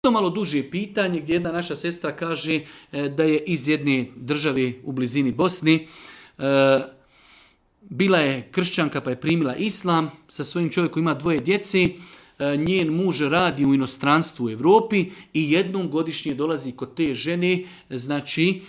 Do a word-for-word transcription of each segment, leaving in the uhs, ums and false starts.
To malo duže pitanje gdje jedna naša sestra kaže da je iz jedne države u blizini Bosni. Bila je kršćanka pa je primila islam, sa svojim čovjekom ima dvoje djece. Njen muž radi u inostranstvu u Europi i jednom godišnje dolazi kod te žene, znači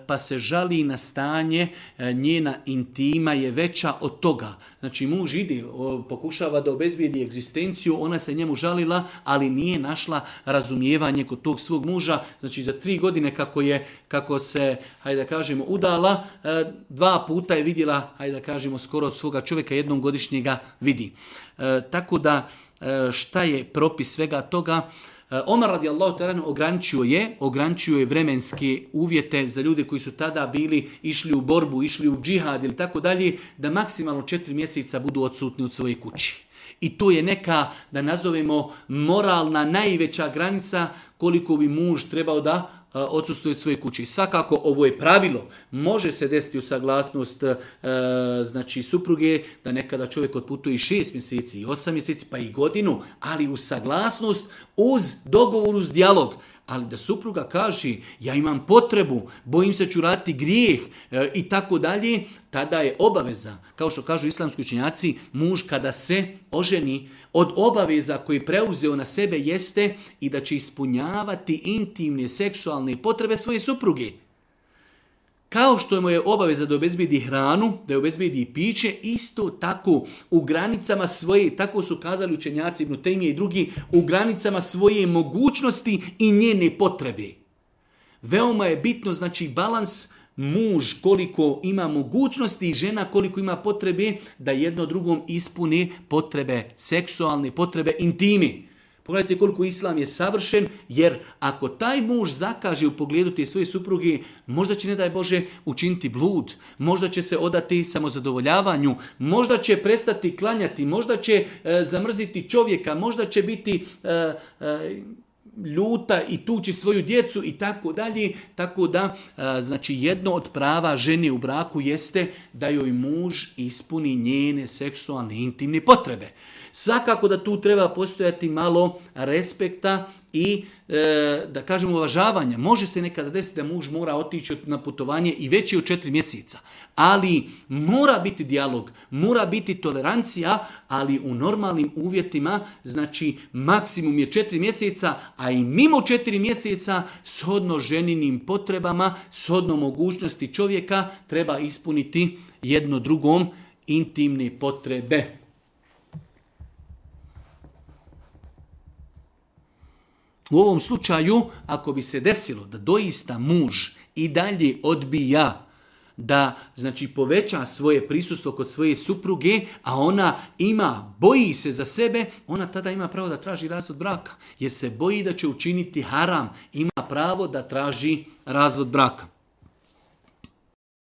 pa se žali na stanje, njena intima je veća od toga. Znači muž ide, pokušava da obezbijedi egzistenciju, ona se njemu žalila, ali nije našla razumijevanje kod tog svog muža. Znači za tri godine kako je, kako se, hajde da kažemo, udala, dva puta je vidjela, hajde da kažemo, skoro od svoga čovjeka, jednom godišnjega vidi. Tako da, šta je propis svega toga? Omar radijallahu ta'ala ograničio je, ograničio je vremenske uvjete za ljude koji su tada bili, išli u borbu, išli u džihad ili tako dalje, da maksimalno četiri mjeseca budu odsutni od svoje kući. I to je neka, da nazovemo, moralna najveća granica koliko bi muž trebao da odsustuje od svoje kuće. Svakako ovo je pravilo. Može se desiti u saglasnost e, znači supruge da nekada čovjek otputuje i šest mjeseci, i osam mjeseci, pa i godinu, ali u saglasnost uz dogovor, uz dijalog. Ali da supruga kaže ja imam potrebu, bojim se ću raditi grijeh e, i tako dalje, tada je obaveza. Kao što kažu islamski učenjaci, muž kada se oženi, od obaveza koje je preuzeo na sebe jeste i da će ispunjavati intimne seksualne potrebe svoje supruge. Kao što mu je obaveza da obezbedi hranu, da obezbedi piće, isto tako u granicama svoje, tako su kazali učenjaci Ibn Tejmije i drugi, u granicama svoje mogućnosti i njene potrebe. Veoma je bitno, znači, balans, muž koliko ima mogućnosti i žena koliko ima potrebe da jedno drugom ispune potrebe seksualne, potrebe intimi. Pogledajte koliko islam je savršen, jer ako taj muž zakaže u pogledu te svoje supruge, možda će, ne daj Bože, učiniti blud, možda će se odati samozadovoljavanju, možda će prestati klanjati, možda će e, zamrziti čovjeka, možda će biti e, e, ljuta i tući svoju djecu i tako dalje. Tako da, e, znači, jedno od prava žene u braku jeste da joj muž ispuni njene seksualne intimne potrebe. Svakako da tu treba postojati malo respekta i e, da kažemo uvažavanja. Može se nekada desiti da muž mora otići na putovanje i već je od četiri mjeseca. Ali mora biti dijalog, mora biti tolerancija, ali u normalnim uvjetima, znači maksimum je četiri mjeseca, a i mimo četiri mjeseca shodno ženinim potrebama, shodno mogućnosti čovjeka treba ispuniti jedno drugom intimne potrebe. U ovom slučaju, ako bi se desilo da doista muž i dalje odbija da, znači, poveća svoje prisustvo kod svoje supruge, a ona ima, boji se za sebe, ona tada ima pravo da traži razvod braka, jer se boji da će učiniti haram, ima pravo da traži razvod braka.